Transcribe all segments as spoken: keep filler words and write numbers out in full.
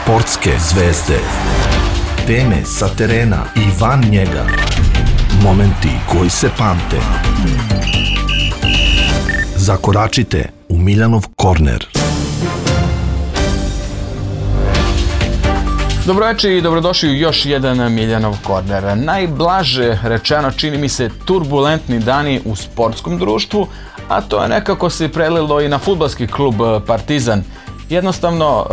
Sportske zvezde. Teme sa terena i van njega. Momenti koji se pamte. Zakoračite u Miljanov korner. Dobroveče i dobrodošli u još jedan Miljanov korner. Najblaže rečeno, čini mi se, turbulentni dani u sportskom društvu, a to je nekako se prelilo i na fudbalski klub Partizan. Jednostavno,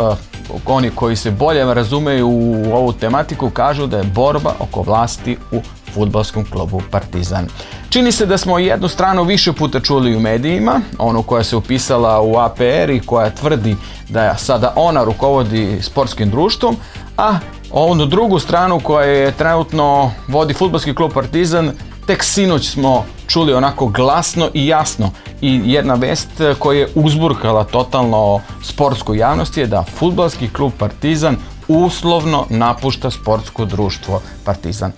oni koji se bolje razumeju u ovu tematiku kažu da je borba oko vlasti u fudbalskom klubu Partizan. Čini se da smo jednu stranu više puta čuli u medijima, onu koja se upisala u A P R i koja tvrdi da sada ona rukovodi sportskim društvom, a onu drugu stranu koja je trenutno vodi fudbalski klub Partizan, tek sinoć smo čuli onako glasno i jasno, i jedna vest koja je uzburkala totalno sportsku javnost je da fudbalski klub Partizan uslovno napušta sportsko društvo Partizan.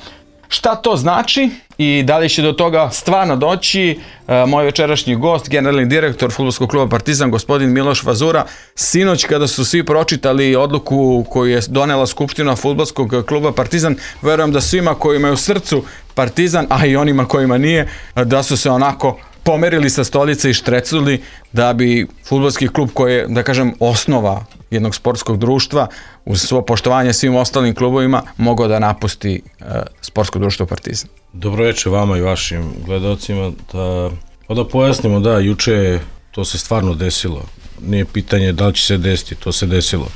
Šta to znači i da li će do toga stvarno doći? Moj večerašnji gost, generalni direktor fudbalskog kluba Partizan, gospodin Miloš Vazura. Sinoć kada su svi pročitali odluku koju je donela Skupština fudbalskog kluba Partizan, verujem da svima koji imaju u srcu Partizan, a i onima kojima nije, da su se onako pomerili sa stolice i štreculi da bi fudbalski klub koji je, da kažem, osnova jednog sportskog društva, uz svo poštovanje svim ostalim klubovima, mogao da napusti e, sportsko društvo Partizan. Dobroveče vama i vašim gledalcima. Da, da pojasnimo, da, juče to se stvarno desilo. Nije pitanje da li će se desiti, to se desilo.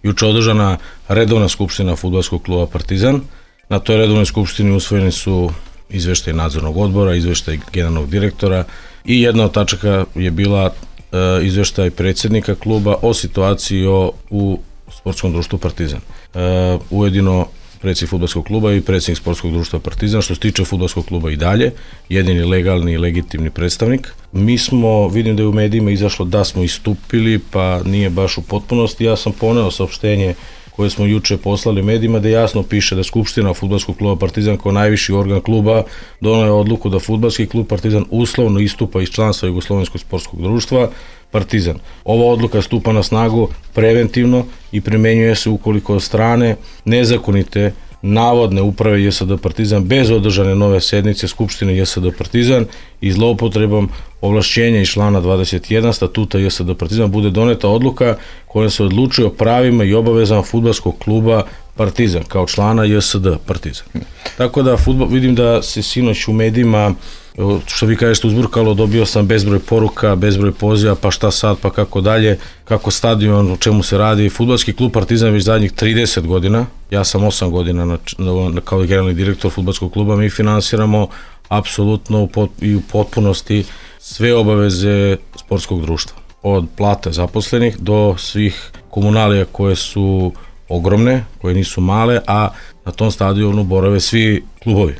Juče održana redovna skupština fudbalskog kluba Partizan. Na toj redovnoj skupštini usvojeni su izveštaj nadzornog odbora, izveštaj generalnog direktora i jedna od tačaka je bila e, izveštaj predsjednika kluba o situaciji o, u sportskom društvu Partizan. E, ujedino predsjednik fudbalskog kluba i predsjednik sportskog društva Partizan, što se tiče fudbalskog kluba i dalje, jedini legalni i legitimni predstavnik. Mi smo, vidim da je u medijima izašlo da smo istupili, pa nije baš u potpunosti. Ja sam poneo saopštenje koje smo juče poslali medijima, da jasno piše da Skupština fudbalskog kluba Partizan kao najviši organ kluba donela je odluku da fudbalski klub Partizan uslovno istupa iz članstva Jugoslovenskog sportskog društva Partizan. Ova odluka stupa na snagu preventivno i primenjuje se ukoliko od strane nezakonite navodne uprave J S D Partizan bez održane nove sednice Skupštine J S D Partizan i zloupotrebom ovlašćenja iz člana dvadeset jedan statuta J S D Partizan bude doneta odluka koja se odlučuje o pravima i obavezama fudbalskog kluba Partizan kao člana J S D Partizan. Tako da fudbal, vidim da se sinoć u medijima, što vi kažete, uzburkalo, dobio sam bezbroj poruka, bezbroj poziva, pa šta sad, pa kako dalje, kako stadion, o čemu se radi. Fudbalski klub Partizan već zadnjih trideset godina, ja sam osam godina na, na, kao generalni direktor fudbalskog kluba, mi finansiramo apsolutno i u potpunosti sve obaveze sportskog društva. Od plate zaposlenih do svih komunalija koje su ogromne, koje nisu male, a na tom stadionu borave svi klubovi.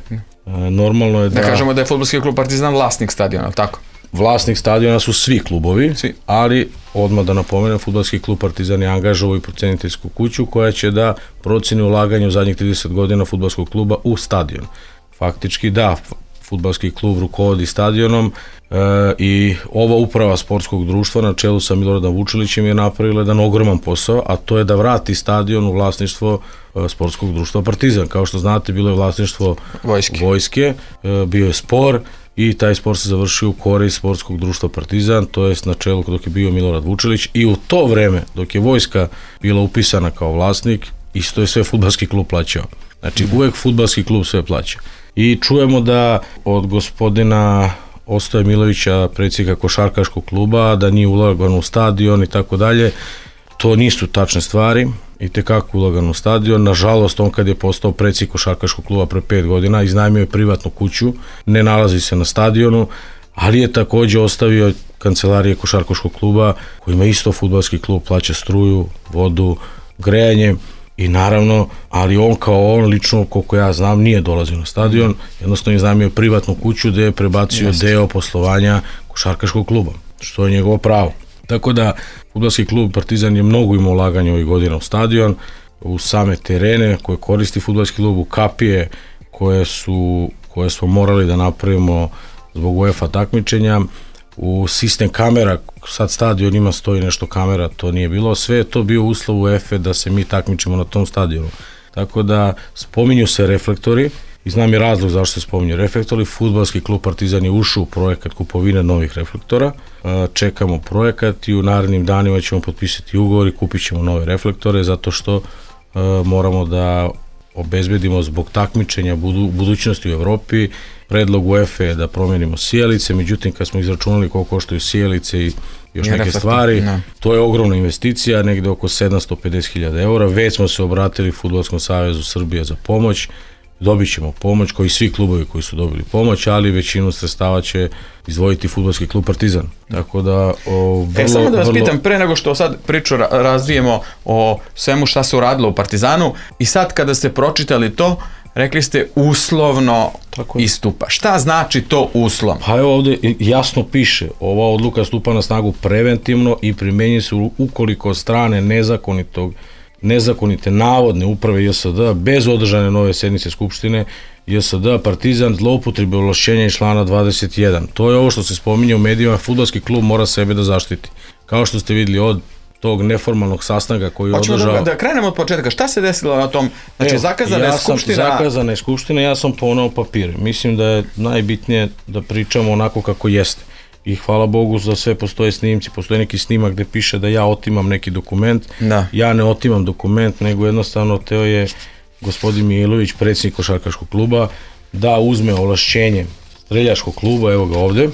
Normalno je da... Da kažemo da je fudbalski klub Partizan vlasnik stadiona, tako? Vlasnik stadiona su svi klubovi, svi. Ali odmah da napomenem, fudbalski klub Partizan je angažovao i proceniteljsku kuću koja će da proceni ulaganje u zadnjih trideset godina fudbalskog kluba u stadion. Faktički da, fudbalski klub rukovodi stadionom e, i ova uprava sportskog društva na čelu sa Miloradom Vučilićem je napravila jedan ogroman posao, a to je da vrati stadion u vlasništvo e, sportskog društva Partizan. Kao što znate, bilo je vlasništvo vojske, vojske e, bio je spor i taj spor se završio u korist sportskog društva Partizan, to jest na čelu dok je bio Milorad Vučilić, i u to vreme dok je vojska bila upisana kao vlasnik, isto je sve fudbalski klub plaćao. Znači uvek fudbalski klub sve plaća. I čujemo da od gospodina Ostoje Milovića, predsjednika košarkaškog kluba, da nije ulagano u stadion i tako dalje. To nisu tačne stvari, i tekako ulagano u stadion. Nažalost, on kad je postao predsjednik košarkaškog kluba pre pet godina, iznajmio je privatnu kuću, ne nalazi se na stadionu, ali je takođe ostavio kancelarije košarkaškog kluba, kojima isto fudbalski klub plaća struju, vodu, grejanje. I naravno, ali on kao on lično, koliko ja znam, nije dolazio na stadion, jednostavno je iznajmio privatnu kuću gde je prebacio Jeste. deo poslovanja košarkaškog kluba, što je njegovo pravo. Tako da, fudbalski klub Partizan je mnogo imao ulaganja ovih godina u stadion, u same terene koje koristi fudbalski klub, u kapije koje su, koje smo morali da napravimo zbog UEFA takmičenja, u sistem kamera sad stadion ima stoji nešto kamera, to nije bilo, sve je to bio uslov UEFA da se mi takmičimo na tom stadionu. Tako da spominju se reflektori i znam je razlog zašto se spominju reflektori. Fudbalski klub Partizan je ušao u projekat kupovine novih reflektora, čekamo projekat i u narednim danima ćemo potpisati ugovor i kupit ćemo nove reflektore zato što moramo da obezbedimo zbog takmičenja budu, budućnosti u Evropi. Predlog UEFA je da promenimo sijalice, međutim kad smo izračunali koliko koštaju sijalice i još neke reflektor, stvari, ne. To je ogromna investicija, negde oko sedamsto pedeset hiljada eura. Već smo se obratili Fudbalskom savezu Srbije za pomoć, dobit ćemo pomoć, kao i svi klubovi koji su dobili pomoć, ali većinu sredstava će izdvojiti Fudbalski klub Partizan. Tako da, o, vrlo, e, samo da vas vrlo... pitam, pre nego što sad priču razvijemo o svemu šta se uradilo u Partizanu, i sad kada ste pročitali to, rekli ste uslovno istupa. Šta znači to uslovno? Pa evo ovde jasno piše, ova odluka stupa na snagu preventivno i primenjuje se ukoliko strane nezakonitog nezakonite navodne uprave J S D bez održane nove sednice Skupštine J S D Partizan zloupotrebe ovlašćenja iz člana dvadeset jedan. To je ovo što se spominje u medijima, fudbalski klub mora sebe da zaštiti. Kao što ste vidjeli od tog neformalnog sastanka koji je održao... Hoćemo da, da krenemo od početka. Šta se desilo na tom? Znači, Evo, zakazana ja je skupština... Zakazana je skupština, ja sam poneo papire. Mislim da je najbitnije da pričamo onako kako jeste. I hvala Bogu za sve postoje snimci, postoje neki snimak gde piše da ja otimam neki dokument. Da. Ja ne otimam dokument, nego jednostavno teo je gospodin Milović, predsjednik košarkaškog kluba, da uzme ovlašćenje streljačkog kluba, evo ga ovde,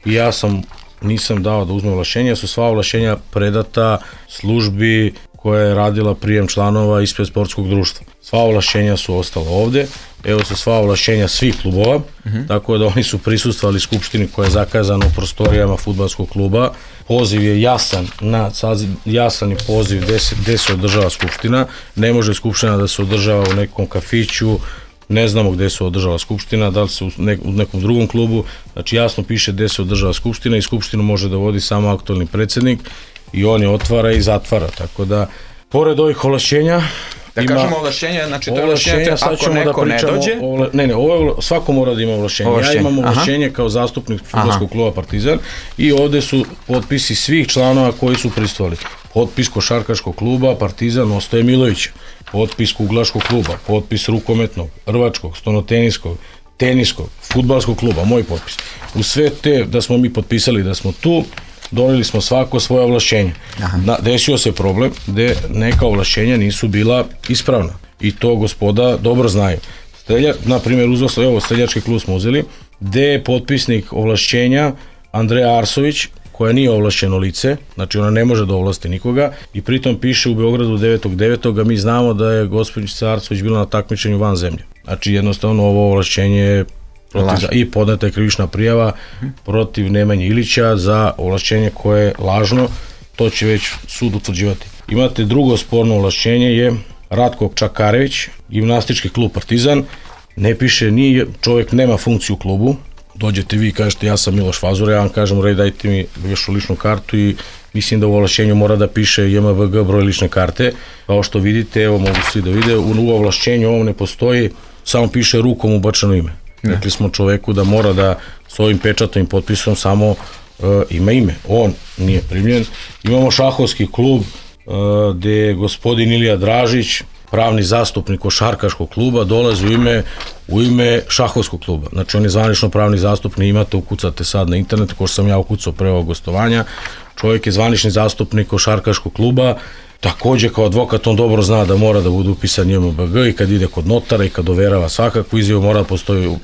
i ja sam nisam dao da uzme ovlašćenja, su sva ovlašćenja predata službi koja je radila prijem članova ispred sportskog društva. Sva ovlašćenja su ostala ovde, evo su sva ovlašćenja svih klubova, uh-huh. tako da oni su prisustvovali skupštini koja je zakazana u prostorijama fudbalskog kluba. Poziv je jasan, na, jasan je poziv gde se, gde se održava skupština, ne može skupština da se održava u nekom kafiću, ne znamo gde se održava skupština, da li se u, ne, u nekom drugom klubu, znači jasno piše gde se održava skupština i skupštinu može da vodi samo aktualni predsjednik i on je otvara i zatvara, tako da pored ovih ovlašćenja da ima, kažemo ovlašćenje, znači to je ovlašćenje ako neko da ne dođe? Ovla, ne, ne, ovo je, svako mora da ima ovlašćenje. ovlašćenje. Ja imam ovlašćenje Aha. kao zastupnik fudbalskog kluba Partizan i ovde su potpisi svih članova koji su prisustvovali. Potpis košarkaškog kluba Partizan Ostoje Milovića, potpis kuglaškog kluba, potpis rukometnog, rvačkog, stonoteniskog, teniskog, fudbalskog kluba, moj potpis. U sve te da smo mi potpisali da smo tu, doneli smo svako svoje ovlašćenje. Na, desio se problem gde neka ovlašćenja nisu bila ispravna i to gospoda dobro znaju. Strelja, na primjer, uzeo evo, streljački klub smo uzeli, gde je potpisnik ovlašćenja Andreja Arsović, koja nije ovlašćeno lice, znači ona ne može da ovlasti nikoga i pritom piše u Beogradu devetog devetog a mi znamo da je gospođica Arsović bila na takmičenju van zemlje. Znači jednostavno ovo ovlašćenje je protiv, i podneta je krivična prijava protiv Nemanje Ilića za ovlašćenje koje je lažno, to će već sud utvrđivati. Imate drugo sporno ovlašćenje je Ratko Čakarević, gimnastički klub Partizan, ne piše, ni čovjek nema funkciju u klubu, dođete vi i kažete ja sam Miloš Fazura, ja vam kažem rej dajte mi vašu ličnu kartu i mislim da u ovlašćenju mora da piše J M V G broj lične karte, kao što vidite, evo mogu svi da vide, u ovlašćenju ovom ne postoji, samo piše rukom ubačeno ime. Ne. Rekli smo čoveku da mora da s ovim pečatom i potpisom samo uh, ima ime, on nije primljen. Imamo šahovski klub uh, gde je gospodin Ilija Dražić, pravni zastupnik košarkaškog kluba, dolazi u ime, u ime šahovskog kluba. Znači on je zvanično pravni zastupnik, imate, ukucate sad na internetu, ko što sam ja ukucao pre ovog gostovanja. Čovjek je zvanični zastupnik košarkaškog kluba, takođe kao advokat on dobro zna da mora da bude upisan J M V G i kad ide kod notara i kad overava svakakvu izjavu mora da postoji uh,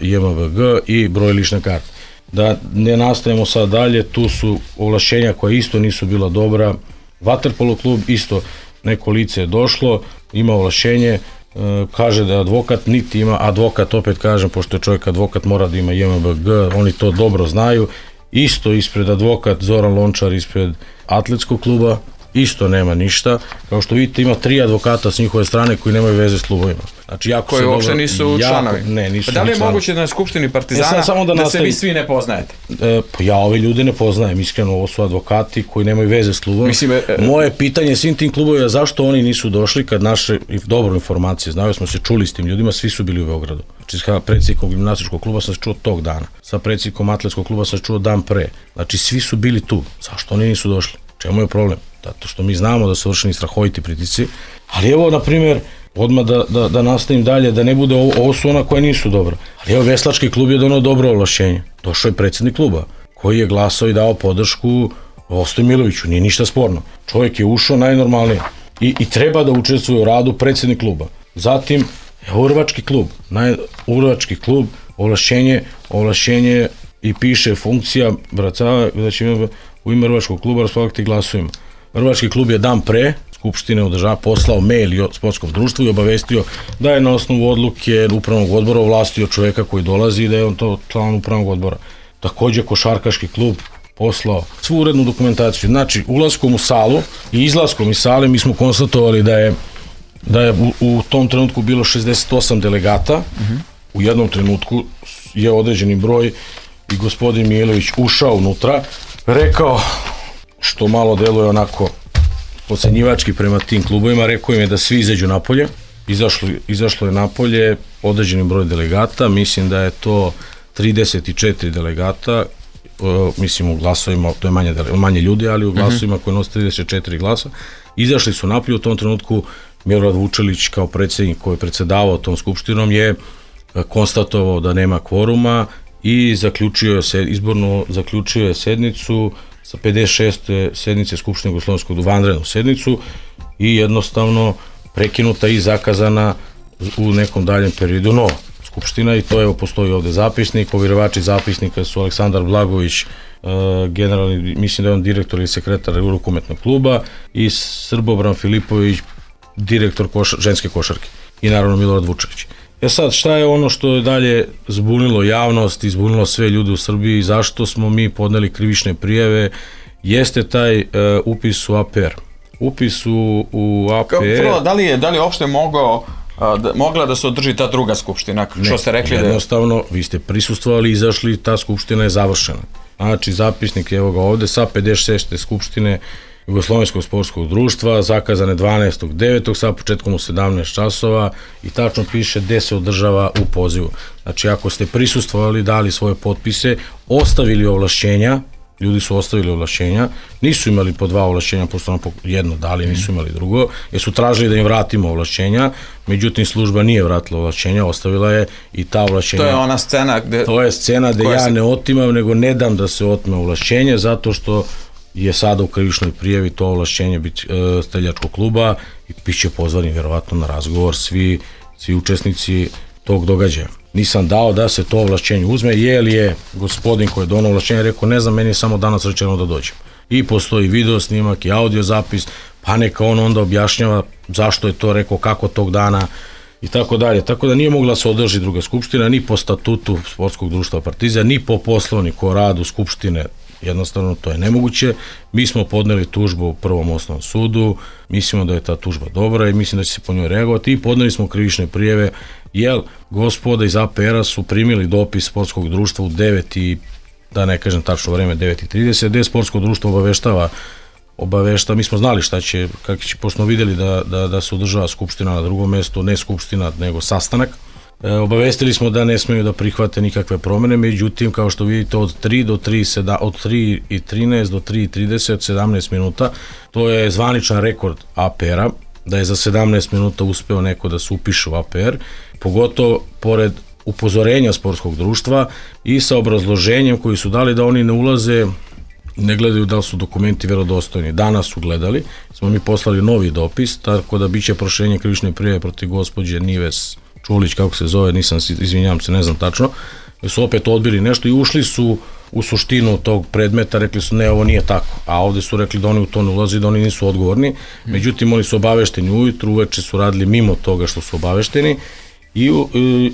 J M V G i broj lične karte. Da ne nastavimo sad dalje, tu su ovlašćenja koja isto nisu bila dobra. Vaterpolo klub isto neko lice je došlo, ima ovlašćenje, uh, kaže da je advokat, niti ima advokat, opet kažem, pošto je čovjek advokat mora da ima J M V G, oni to dobro znaju. Isto ispred advokat Zoran Lončar ispred atletskog kluba isto nema ništa. Kao što vidite, ima tri advokata s njihove strane koji nemaju veze s klubovima. Znači, jako koji uopšte nisu jako, članovi. Ne, nisu. Pa da li je članovi. moguće da na Skupštini Partizana e, samo da, da nastavim, se vi svi ne poznajete? E, pa ja ove ljude ne poznajem, iskreno, ovo su advokati koji nemaju veze s klubom. Mislim, e, moje pitanje svim tim klubovima, zašto oni nisu došli kad naše dobro informacije znaju, smo se čuli s tim ljudima, svi su bili u Beogradu. Znači, sa predsjednikom gimnastičkog kluba sam se čuo tog dana, sa predsjednikom atletskog kluba sam se čuo dan pre. Znači, svi su bili tu. Zašto oni nisu došli? Čemu je problem? Zato što mi znamo da su vršeni strahoviti pritisci, ali evo, na primjer, odmah da, da, da nastavim dalje, da ne bude ovo, ovo su ona koja nisu dobra. Ali evo, veslački klub je donao dobro ovlašćenje. Došao je predsjednik kluba, koji je glasao i dao podršku Vostoju Miloviću, nije ništa sporno. Čovjek je ušao najnormalnije i, i treba da učestvuje u radu predsjednik kluba. Zatim, evo, Urvački klub, naj, Urvački klub, ovlašćenje, ovlašćenje i piše funkcija, bracava, da će imati u ime Urvačkog kluba raspolagati glasovima. Urvački klub je dan pre Skupštine održava, poslao mail sportskom društvu i obavestio da je na osnovu odluke upravnog odbora ovlastio čovjeka koji dolazi i da je on to član upravnog odbora. Također Košarkaški klub poslao svu urednu dokumentaciju. Znači, ulaskom u salu i izlaskom iz sale mi smo konstatovali da je, da je u, u tom trenutku bilo šezdeset osam delegata. Uh-huh. U jednom trenutku je određeni broj i gospodin Mijailović ušao unutra, rekao, što malo deluje onako ocenjivački prema tim klubovima, rekao im je da svi izađu napolje. Izašlo, izašlo je napolje određeni broj delegata, mislim da je to trideset četiri delegata, uh, mislim u glasovima, to je manje, manje ljudi, ali u glasovima uh-huh. koji nose trideset četiri glasa. Izašli su napolje, u tom trenutku Milorad Vučelić kao predsjednik koji je predsedavao tom skupštinom je konstatovao da nema kvoruma i zaključio je se, izborno zaključio je sednicu sa pedeset šeste sednice Skupštine Jugoslovenskog, vanrednu sednicu i jednostavno prekinuta i zakazana u nekom daljem periodu nova skupština i to evo postoji ovde zapisnik, ovjerovači zapisnika su Aleksandar Blagović, uh, generalni, mislim da je on direktor ili sekretar rukometnog kluba i Srbobran Filipović, direktor koša, ženske košarke i naravno Milorad Vučelić. E sad, šta je ono što je dalje zbunilo javnost i zbunilo sve ljude u Srbiji, zašto smo mi podneli krivične prijave, jeste taj uh, upis u A P R. Upis u, u A P R... Prvo, da li je, da li je uopšte mogao, da, mogla da se održi ta druga skupština? Što ne, ste rekli jednostavno, da je... vi ste prisustvovali, izašli, ta skupština je završena. Znači, zapisnik je evo ga ovde sa pedeset šeste skupštine Jugoslovenskog sportskog društva, zakazane dvanaestog devetog sa početkom u sedamnaest časova i tačno piše gde se održava u pozivu. Znači, ako ste prisustvovali, dali svoje potpise, ostavili ovlašćenja, ljudi su ostavili ovlašćenja, nisu imali po dva ovlašćenja, pošto nam jedno dali, nisu imali drugo, jer su tražili da im vratimo ovlašćenja, međutim služba nije vratila ovlašćenja, ostavila je i ta ovlašćenja. To je ona scena gde... To je scena gde ja se... ne otimam, nego ne dam da se otme ovlašćenje, zato što je sada u krivičnoj prijavi to ovlašćenje biti e, streljačkog kluba i bit će pozvani vjerovatno na razgovor svi, svi učesnici tog događaja. Nisam dao da se to ovlašćenje uzme, jer je gospodin koji je donao ovlašćenje rekao, ne znam, meni je samo danas rečeno da dođem. I postoji video snimak i audio zapis, pa neka on onda objašnjava zašto je to rekao, kako tog dana i tako dalje. Tako da nije mogla se održi druga skupština, ni po statutu Sportskog društva Partizan, ni po poslovniku o radu skupštine. Jednostavno to je nemoguće. Mi smo podneli tužbu u prvom osnovnom sudu, mislimo da je ta tužba dobra i mislim da će se po njoj reagovati i podneli smo krivične prijeve, jer gospoda iz A P R-a su primili dopis sportskog društva u devet i, da ne kažem tačno vreme, devet i trideset, gde sportsko društvo obaveštava, obavešta, mi smo znali šta će, kako će, pošto smo vidjeli da, da, da se održava skupština na drugom mjestu, ne skupština, nego sastanak. E, obavestili smo da ne smeju da prihvate nikakve promjene, međutim, kao što vidite, od tri do tri, od tri i trinaest do tri i trideset, sedamnaest minuta, to je zvaničan rekord A P R-a, da je za sedamnaest minuta uspeo neko da se upiše u A P R, pogotovo pored upozorenja sportskog društva i sa obrazloženjem koji su dali da oni ne ulaze, ne gledaju da li su dokumenti verodostojni. Danas su gledali, smo mi poslali novi dopis, tako da biće proširenje krivične prijave protiv gospođe Nives Čulić, kako se zove, nisam, izvinjavam se, ne znam tačno, su opet odbili nešto i ušli su u suštinu tog predmeta, rekli su ne, ovo nije tako, a ovde su rekli da oni u to ne ulazi, da oni nisu odgovorni, međutim oni su obavešteni ujutru, uveče su radili mimo toga što su obavešteni i, i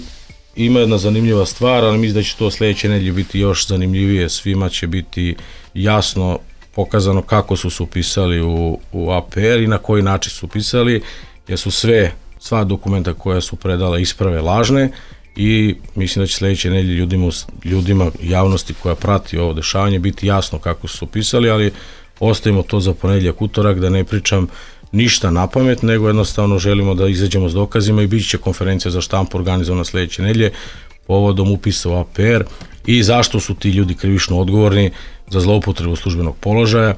ima jedna zanimljiva stvar, ali mislim da će to sledeće nedelje biti još zanimljivije, svima će biti jasno pokazano kako su se upisali u, u A P R i na koji način su upisali, jer su sve, sva dokumenta koja su predala isprave lažne i mislim da će sledeće nedelje ljudima, ljudima javnosti koja prati ovo dešavanje biti jasno kako su se upisali, ali ostavimo to za ponedjeljak, utorak, da ne pričam ništa na pamet, nego jednostavno želimo da izađemo s dokazima i bit će konferencija za štampu organizovana sledeće nedelje povodom upisa u A P R i zašto su ti ljudi krivično odgovorni za zloupotrebu službenog položaja.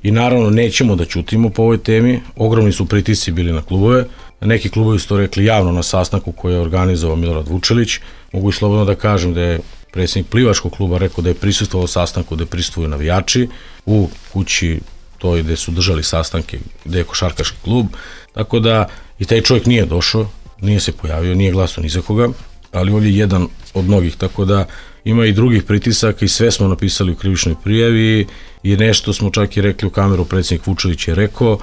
I naravno nećemo da ćutimo po ovoj temi, ogromni su pritisci bili na klubove, neki klubovi su to rekli javno na sastanku koji je organizovao Milorad Vučelić, mogu i slobodno da kažem da je predsjednik plivačkog kluba rekao da je prisustvovao sastanku gde prisustvuju navijači u kući toj gde su držali sastanke, gde je košarkaški klub, tako da i taj čovjek nije došao, nije se pojavio, nije glasao ni za koga, ali ovdje je jedan od mnogih, tako da ima i drugih pritisaka i sve smo napisali u krivičnoj prijavi i nešto smo čak i rekli u kameru, predsjednik Vučelić je rekao,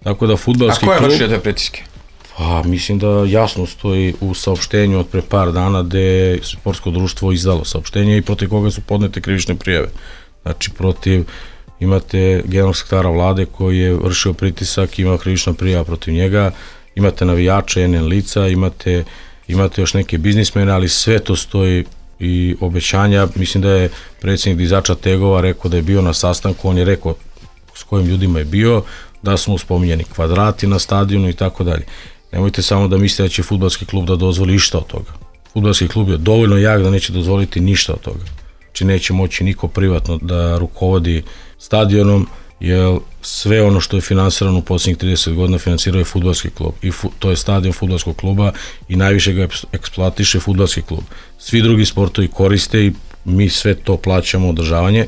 tako da fudbalski klub... A ko je vršio te pritiske? Pa mislim da jasno stoji u saopštenju od pre par dana gde je sportsko društvo izdalo saopštenje i protiv koga su podnete krivične prijave. Znači protiv, imate generalnog sekretara vlade koji je vršio pritisak, ima krivična prijava protiv njega, imate navijače, N N lica, imate, imate još neke biznismene, ali sve to stoji i obećanja. Mislim da je predsjednik dizača Tegova rekao da je bio na sastanku, on je rekao s kojim ljudima je bio, da smo spominjeni kvadrati na stadionu i tako dalje. Nemojte samo da mislite da će fudbalski klub da dozvoli išta od toga. Fudbalski klub je dovoljno jak da neće dozvoliti ništa od toga. Znači neće moći niko privatno da rukovodi stadionom, jer sve ono što je finansirano u posljednjih trideset godina finansirao je fudbalski klub. I fu, to je stadion fudbalskog kluba i najviše ga eksploatiše fudbalski klub. Svi drugi sportovi koriste i mi sve to plaćamo održavanje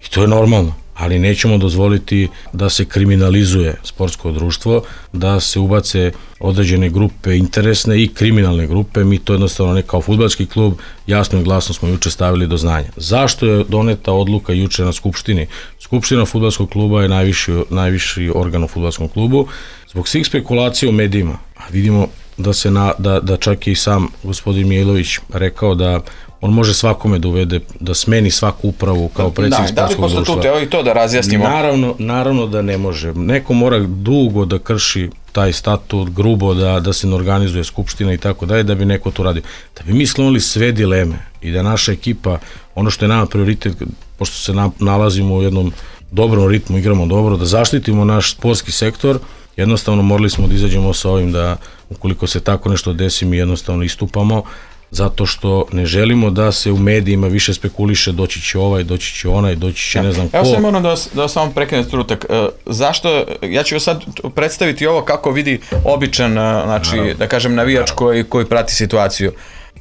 i to je normalno. Ali nećemo dozvoliti da se kriminalizuje sportsko društvo, da se ubace određene grupe interesne i kriminalne grupe, mi to jednostavno ne kao fudbalski klub, jasno i glasno smo juče stavili do znanja. Zašto je doneta odluka juče na Skupštini? Skupština fudbalskog kluba je najviši, najviši organ u fudbalskom klubu. Zbog svih spekulacija u medijima, vidimo da, se na, da, da čak je i sam gospodin Mijailović rekao da on može svakome da uvede, da smeni svaku upravu kao predsjednik sportskog društva. Da li postatute, evo i to da razjasnimo? Naravno, naravno da ne može. Neko mora dugo da krši taj statut, grubo da, da se ne organizuje skupština i tako dalje, da bi neko to radio. Da bi mi sklonili sve dileme i da naša ekipa, ono što je nama prioritet, pošto se na, nalazimo u jednom dobrom ritmu, igramo dobro, da zaštitimo naš sportski sektor, jednostavno morali smo da izađemo sa ovim da ukoliko se tako nešto desi, mi jednostavno istupamo, zato što ne želimo da se u medijima više spekuliše doći će ovaj, doći će onaj, doći će ne znam ko. Evo sad moram da vas, da vas samo prekrenem strutak. E, zašto, ja ću sad predstaviti ovo kako vidi običan, znači, naravno, da kažem navijač koji, koji prati situaciju.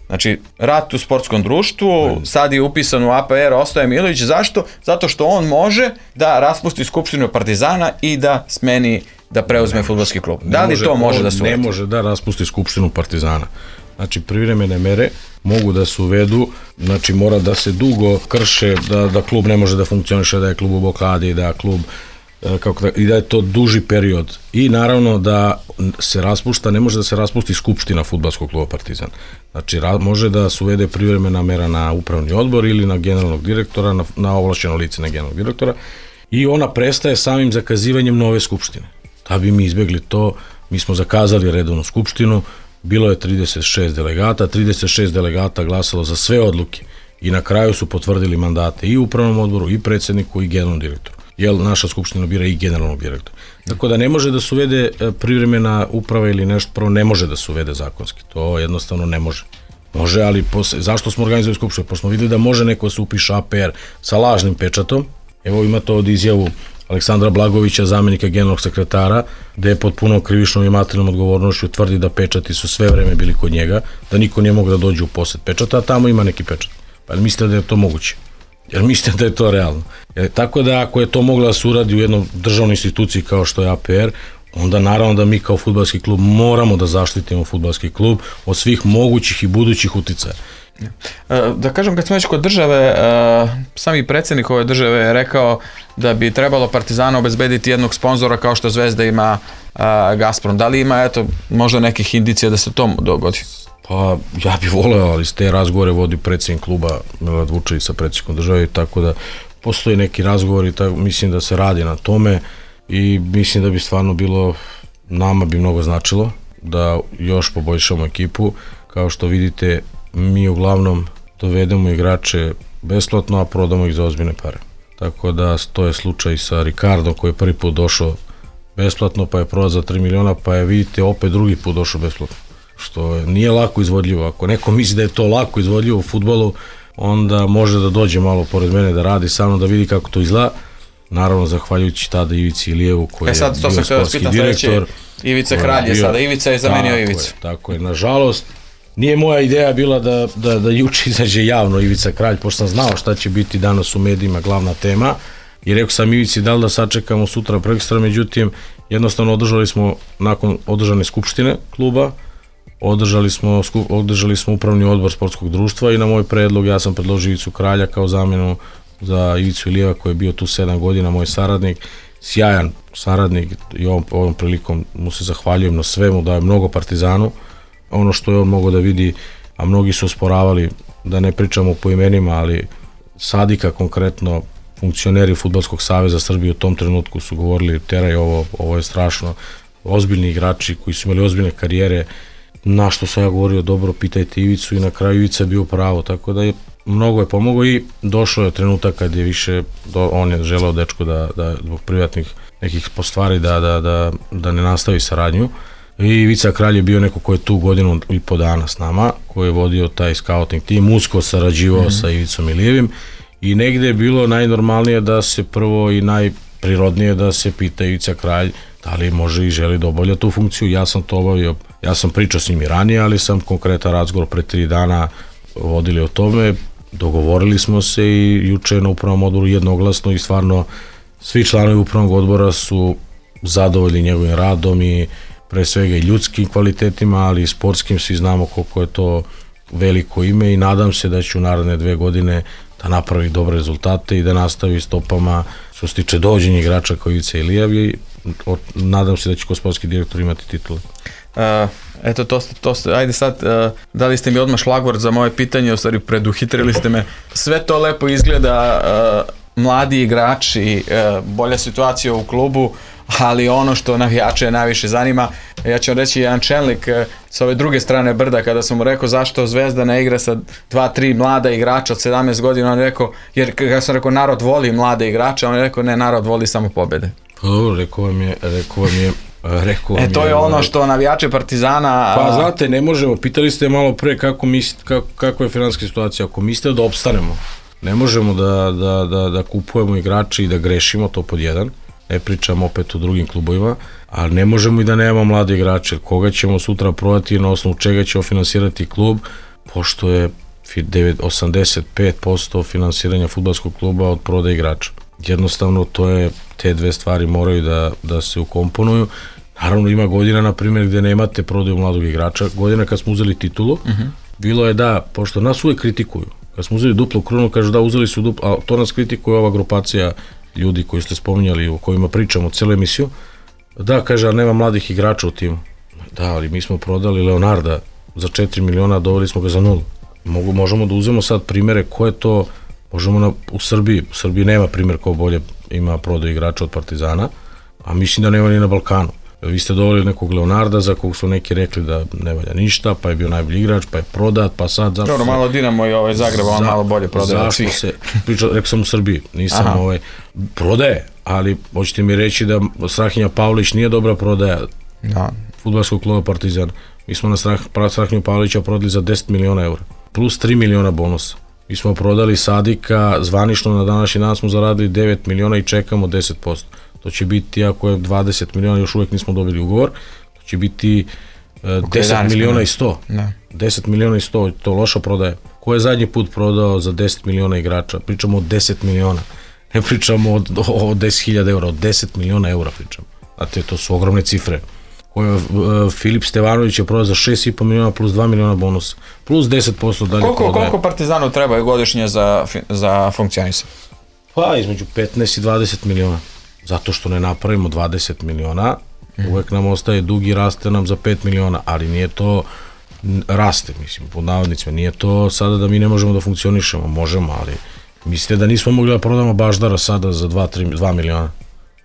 Znači, rat u sportskom društvu, sad je upisan u A P R, ostaje Milović, zašto? Zato što on može da raspusti skupštinu Partizana i da smeni, da preuzme fudbalski klub. Da li to može da se uvede? Ne može da raspusti skupštinu Partizana. Znači, privremene mere mogu da se uvedu, znači mora da se dugo krše, da, da klub ne može da funkcioniše, da je klub u blokadi, da klub, kako da, i da je to duži period. I naravno da se raspušta, ne može da se raspusti skupština fudbalskog kluba Partizan. Znači, ra, može da se uvede privremena mera na upravni odbor ili na generalnog direktora, na, na ovlašćeno lice na generalnog direktora i ona prestaje samim zakazivanjem nove skupštine. Da bi mi izbegli to, mi smo zakazali redovnu skupštinu, bilo je trideset šest delegata, trideset šest delegata glasalo za sve odluke i na kraju su potvrdili mandate i upravnom odboru, i predsjedniku, i generalnom direktoru. Jer naša skupština bira i generalnog direktora. Tako da ne može da se uvede privremena uprava ili nešto, prvo ne može da se uvede zakonski. To jednostavno ne može. Može, ali posle, zašto smo organizovali skupštinu? Pošto smo videli da može neko da se upiše A P R sa lažnim pečatom. Evo ima to od izjavu Aleksandra Blagovića, zamenika generalnog sekretara, gde je pod punom krivičnom i materijalnom odgovornošću tvrdi da pečati su sve vreme bili kod njega, da niko nije mogu da dođe u posed pečata, a tamo ima neki pečat. Pa jel mislite da je to moguće? Jer mislite da je to realno? Jer, tako da ako je to mogla da se uradi u jednoj državnoj instituciji kao što je A P R, onda naravno da mi kao fudbalski klub moramo da zaštitimo fudbalski klub od svih mogućih i budućih uticaja. Da kažem, kad smo već kod države, sami predsjednik ove države je rekao da bi trebalo Partizanu obezbediti jednog sponzora kao što Zvezda ima Gazprom. Da li ima, eto, možda nekih indicija da se to dogodi? Pa ja bih voleo, ali s te razgovore vodi predsjednik kluba Milorad Vučelić sa predsjednikom države, tako da postoji neki razgovor i tako, mislim da se radi na tome i mislim da bi stvarno bilo, nama bi mnogo značilo da još poboljšamo ekipu. Kao što vidite, mi uglavnom dovedemo igrače besplatno, a prodamo ih za ozbiljne pare. Tako da to je slučaj sa Ricardom koji je prvi put došao besplatno, pa je prodat za tri miliona, pa je vidite opet drugi put došao besplatno. Što nije lako izvodljivo. Ako neko misli da je to lako izvodljivo u fudbalu, onda može da dođe malo pored mene da radi sa mnom, da vidi kako to izgleda. Naravno, zahvaljujući tada Ivici Ilijevu koji e sad, je bio sportski direktor. Ivica Kralj je sada, Ivica je zamenio Ivicu. Tako je, nažalost, nije moja ideja bila da, da, da juče izađe javno Ivica Kralj, pošto sam znao šta će biti danas u medijima glavna tema. I rekao sam Ivici da li da sačekamo sutra prekstra, međutim, jednostavno održali smo, nakon održane skupštine kluba, održali smo, održali smo upravni odbor sportskog društva i na moj predlog ja sam predložio Ivicu Kralja kao zamenu za Ivicu Ilijeva koji je bio tu sedam godina, moj saradnik, sjajan saradnik i ovom, ovom prilikom mu se zahvaljujem na svemu, daje mnogo Partizanu, ono što je on mogao da vidi, a mnogi su osporavali, da ne pričamo po imenima, ali Sadika konkretno, funkcioneri Fudbalskog saveza Srbije u tom trenutku su govorili teraj ovo, ovo je strašno, ozbiljni igrači koji su imali ozbiljne karijere, na što sam ja govorio, dobro, pitajte Ivicu i na kraju Ivica je bio pravo, tako da je mnogo je pomogao i došao je trenutak kad je više, do, on je želeo dečko da, da zbog privatnih nekih postvari da, da, da, da ne nastavi saradnju i Ivica Kralj je bio neko ko je tu godinu i po dana s nama, koji je vodio taj scouting tim, usko sarađivao mm-hmm. sa Ivicom Ilijevim i negde je bilo najnormalnije da se prvo i najprirodnije da se pita Ivica Kralj da li može i želi da obavlja tu funkciju. Ja sam to obavio, ja sam pričao s njim i ranije, ali sam konkretan razgovor pre tri dana vodili o tome, dogovorili smo se i juče na upravnom odboru jednoglasno i stvarno svi članovi upravnog odbora su zadovoljni njegovim radom i pre svega i ljudskim kvalitetima, ali i sportskim, svi znamo koliko je to veliko ime i nadam se da će u naredne dve godine da napravi dobre rezultate i da nastavi stopama što se tiče dođenja igrača kao Ivica Ilijev i nadam se da će kao sportski direktor imati titulu. Uh, eto, to ste, to ste, ajde sad, uh, dali ste mi odmah šlagvort za moje pitanje, u stvari preduhitrili ste me. Sve to lepo izgleda, uh, mladi igrači, uh, bolja situacija u klubu, ali ono što navijače najviše zanima, ja ću vam reći jedan čelnik uh, sa ove druge strane brda, kada sam mu rekao zašto Zvezda ne igra sa dva, tri mlada igrača od sedamnaest godina, on je rekao, jer kada sam rekao narod voli mlade igrače, on je rekao ne, narod voli samo pobjede. Pa dobro, rekao vam je, rekao vam je Rekao e, to je, je ono što navijače Partizana... Pa znate, ne možemo, pitali ste malo pre kako mislite, kako, kako je finansijska situacija, ako mislite da opstanemo, ne možemo da, da, da, da kupujemo igrače i da grešimo, to pod jedan, ne pričamo opet o drugim klubovima, ali ne možemo i da nemamo mlade igrače, koga ćemo sutra prodati, na osnovu čega ćemo finansirati klub, pošto je osamdeset pet posto finansiranja fudbalskog kluba od prodaje igrača. Jednostavno, to je, te dve stvari moraju da, da se ukomponuju. Naravno, ima godina, na primjer, gde nemate prodaju mladog igrača. Godina kad smo uzeli titulu, uh-huh. bilo je da, pošto nas uvek kritikuju, kad smo uzeli duplu krunu, kažu da, uzeli su duplu, a to nas kritikuje ova grupacija ljudi koji ste spominjali, o kojima pričamo celu emisiju, da, kaže, nema mladih igrača u timu. Da, ali mi smo prodali Leonarda za četiri miliona, doveli smo ga za nulu. Mogu, možemo da uzmemo sad primere ko je to, možemo na, u Srbiji, u Srbiji nema primjer ko bolje ima prodaju igrača od Partizana, a mislim da nema ni na Balkanu. Vi ste doveli nekog Leonarda za kog su neki rekli da ne valja ništa, pa je bio najbolji igrač, pa je prodat, pa sad... Zašto Dobro, malo Dinamo i ovaj Zagreb, on za, malo bolje prodaje od svih. Se, pričao, rekao sam u Srbiji, nisam Aha. ovaj, prodaje, ali hoćete mi reći da Strahinja Pavlić nije dobra prodaja da. Fudbalskog kluba Partizan. Mi smo na Strah, Strahinju Pavlića prodali za deset miliona eura, plus tri miliona bonusa. Mi smo prodali Sadika, zvanično na današnji dan smo zaradili devet miliona i čekamo deset posto. To će biti, ako je dvadeset miliona, još uvijek nismo dobili ugovor, to će biti uh, deset miliona i sto. Ne. deset miliona i sto, to loša prodaje. Ko je zadnji put prodao za deset miliona igrača? Pričamo o deset miliona. Ne pričamo o, o, o deset hiljada eura, o deset miliona eura pričamo. Znate, to su ogromne cifre. Ko je, uh, Filip Stevanović je prodao za šest i po miliona plus dva miliona bonusa. Plus deset posto dalje koliko, prodaje. Koliko Partizanu treba godišnje za, za funkcionisanje? Pa, između petnaest i dvadeset miliona. Zato što ne napravimo dvadeset miliona, mm. uvek nam ostaje dug i raste nam za pet miliona, ali nije to, raste, mislim, pod navodnicima, nije to sada da mi ne možemo da funkcionišemo, možemo, ali Mislite da nismo mogli da prodamo Baždara sada za dva miliona?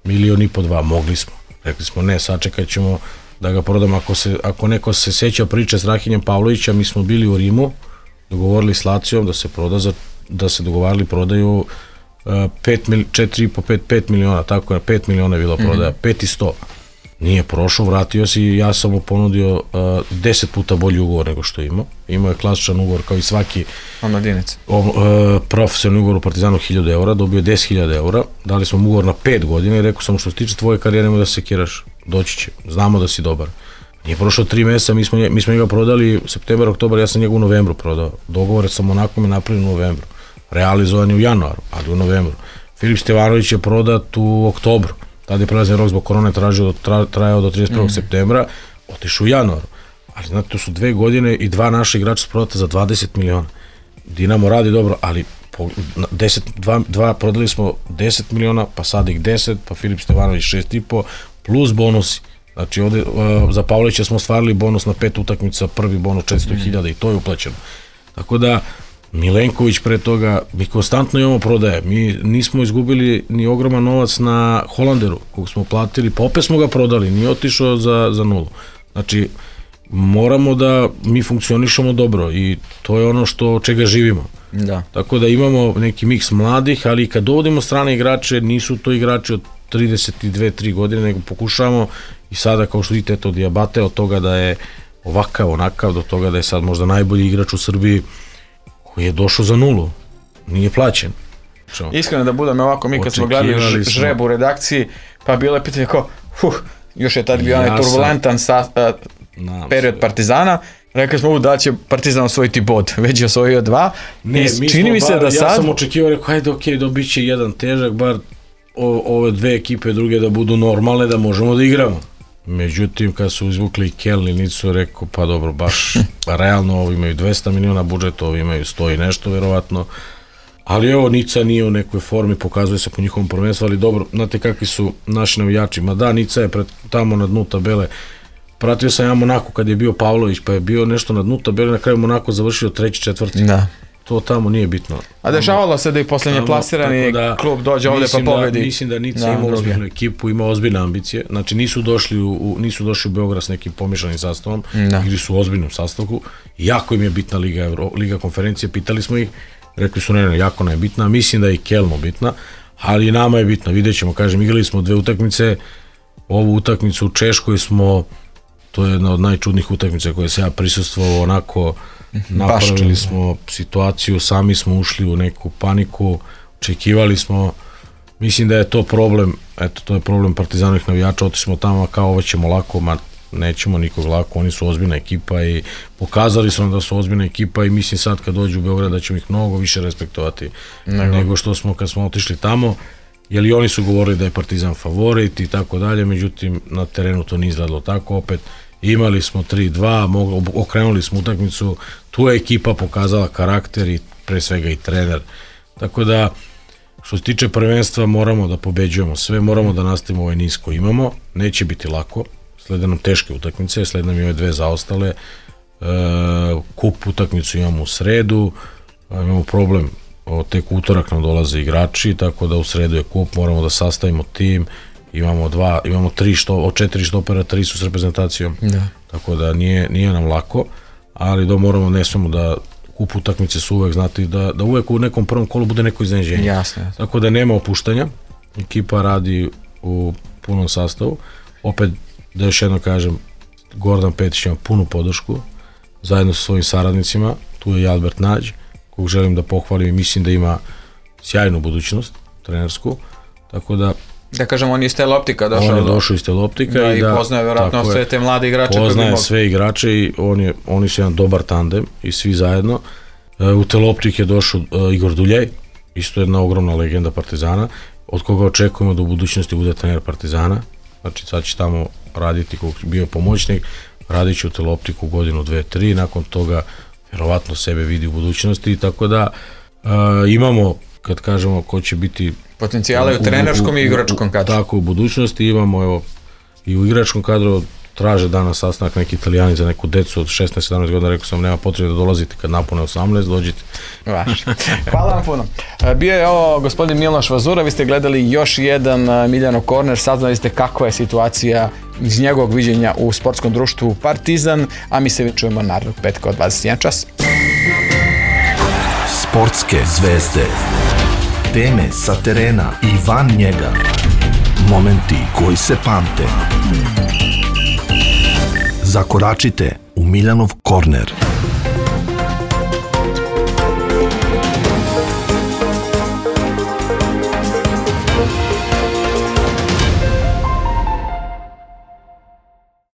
Milion i po dva, mogli smo. Rekli smo ne, sačekat ćemo da ga prodamo. Ako, se, ako neko se seća priče s Rahinjem Pavlovića, mi smo bili u Rimu, dogovorili s Lacijom da se proda, za, da se dogovarali prodaju četiri i po pet miliona, tako je, pet miliona je bila prodaja, pet i sto. Nije prošao, vratio se i ja sam mu ponudio deset puta bolji ugovor nego što je imao. Imao je klasičan ugovor kao i svaki omladinac. Profesionalni ugovor u Partizanu hiljadu eura, dobio deset hiljada eura, dali smo mu ugovor na pet godina i rekao sam što se tiče tvoje karijere nemoj da se sekiraš, doći će, znamo da si dobar. Nije prošlo tri meseca, mi smo, mi smo njega prodali septembar, oktobar, ja sam njega u novembru prodao. Dogovore sa Monakom je napravljen u novembru, realizovan je u januaru, ali u novembru. Filip Stevanović je prodat u oktobru. Tada je prelazni rok zbog korone tražio, tra, trajao do trideset prvog Mm. septembra, otišao u januaru. Ali znate, to su dve godine i dva naša igrača su prodata za dvadeset miliona. Dinamo radi dobro, ali po, deset, dva, dva prodali smo deset miliona, pa sad ih deset, pa Filip Stevanović šest i po, plus bonusi. Znači, ovde, uh, za Pavlovića smo stvarili bonus na pet utakmica, prvi bonus četiristo hiljada mm. i to je uplaćeno. Tako da, Milenković pre toga, mi konstantno imamo prodaje, mi nismo izgubili ni ogroman novac na Holanderu, kog smo platili, pa opet smo ga prodali, nije otišao za, za nulu. Znači, moramo da mi funkcionišemo dobro i to je ono što od čega živimo. Da. Tako da imamo neki miks mladih, ali kad dovodimo strane igrače, nisu to igrači od trideset dve tri godine, nego pokušavamo i sada, kao što vidite, to Diabate od toga da je ovakav, onakav, do toga da je sad možda najbolji igrač u Srbiji, koji je došao za nulu, nije plaćen. Iskreno da budem ovako, mi kad smo gledali žrebu u redakciji, pa bilo je pitanje kao, huh, još je tad bio onaj turbulentan sa, uh, period Partizana, rekli smo da će Partizan osvojiti bod, već je osvojio dva, ne, i čini mi se bar, da sad... Ja sam očekivao, rekao, hajde, ok, dobit će jedan težak, bar o, ove dve ekipe druge da budu normalne, da možemo da igramo. Međutim, kad su izvukli Keln i Nicu, rekao, pa dobro, baš realno, ovi imaju dvesta miliona budžeta, ovi imaju sto i nešto, verovatno. Ali evo, Nica nije u nekoj formi, pokazuje se po njihovom prvenstvu, ali dobro, znate kakvi su naši navijači. Ma da, Nica je pred, tamo na dnu tabele. Pratio sam ja Monako kad je bio Pavlović, pa je bio nešto na dnu tabele, na kraju Monako završio treći, četvrti. Da. To tamo nije bitno. A dešavalo se da i poslednje plasirani da, klub dođe ovde pa pobedi. Da, mislim da Nica da, ima ozbiljnu ekipu, ima ozbiljne ambicije. Znači nisu došli u, u, nisu došli u Beograd s nekim pomišanim sastavom, da. Ili su u ozbiljnom sastavku. Jako im je bitna Liga, Euro, Liga konferencije, pitali smo ih, rekli su ne, ne, jako nam je bitna, mislim da je i Kelmu bitna, ali nama je bitna, vidjet ćemo, kažem, igrali smo dve utakmice, ovu utakmicu u Češkoj smo, to je jedna od najčudnijih utakmica koje se ja prisustvovao, onako, napravili smo situaciju, sami smo ušli u neku paniku, očekivali smo, mislim da je to problem, eto to je problem Partizanovih navijača, otišli smo tamo kao ovo ćemo lako, ma nećemo nikog lako, oni su ozbiljna ekipa i pokazali su nam da su ozbiljna ekipa i mislim sad kad dođu u Beograd da ćemo ih mnogo više respektovati nego, nego što smo kad smo otišli tamo, jer i oni su govorili da je Partizan favorit i tako dalje, međutim na terenu to nije izgledalo tako, opet imali smo tri dva, okrenuli smo utakmicu, tu je ekipa pokazala karakter i pre svega i trener. Tako da, što se tiče prvenstva, moramo da pobeđujemo sve, moramo da nastavimo ovaj niz koji imamo, neće biti lako, slede nam teške utakmice, slede nam i ove dve zaostale, e, kup utakmicu imamo u sredu, imamo problem, o, tek utorak nam dolaze igrači, tako da u sredu je kup, moramo da sastavimo tim, imamo dva, imamo tri što, od četiri štopera, tri su s reprezentacijom, da. Tako da nije, nije nam lako, ali da moramo, ne smemo da kup utakmice su uvek, znate, da, da uvek u nekom prvom kolu bude neko iznenađenje. Jasno, jasno. Tako da nema opuštanja, ekipa radi u punom sastavu, opet da još jedno kažem, Gordan Petić ima punu podršku, zajedno sa svojim saradnicima, tu je i Albert Nađ, kog želim da pohvalim i mislim da ima sjajnu budućnost, trenersku, tako da Da kažem, on je iz Teleoptika došao. On je došao iz Teleoptika da, i, i da, poznaje vjerojatno sve te mlade igrače. Poznaje sve igrače i on je, oni su jedan dobar tandem i svi zajedno. U Teleoptik je došao Igor Duljej, isto jedna ogromna legenda Partizana, od koga očekujemo da u budućnosti bude trener Partizana. Znači sad će tamo raditi, kog bio pomoćnik, radit će u Teleoptiku godinu, dve, tri, nakon toga vjerovatno sebe vidi u budućnosti, tako da uh, imamo, kad kažemo ko će biti potencijale u trenerskom i igračkom kadru. Tako, u budućnosti imamo, evo, i u igračkom kadru traže danas sastanak neki Italijani za neku decu od šesnaest sedamnaest godina, rekao sam nema potrebe da dolazite kad napune osamnaest, dođite. Vaš. Hvala vam puno. Bio je ovo gospodin Miloš Vazura, vi ste gledali još jedan Miljanov korner, saznali ste kakva je situacija iz njegovog viđenja u sportskom društvu Partizan, a mi se čujemo narednog petka od dvadeset jedan čas. Sportske zvezde, teme sa terena i van njega, momenti koji se pamte. Zakoračite u Miljanov korner.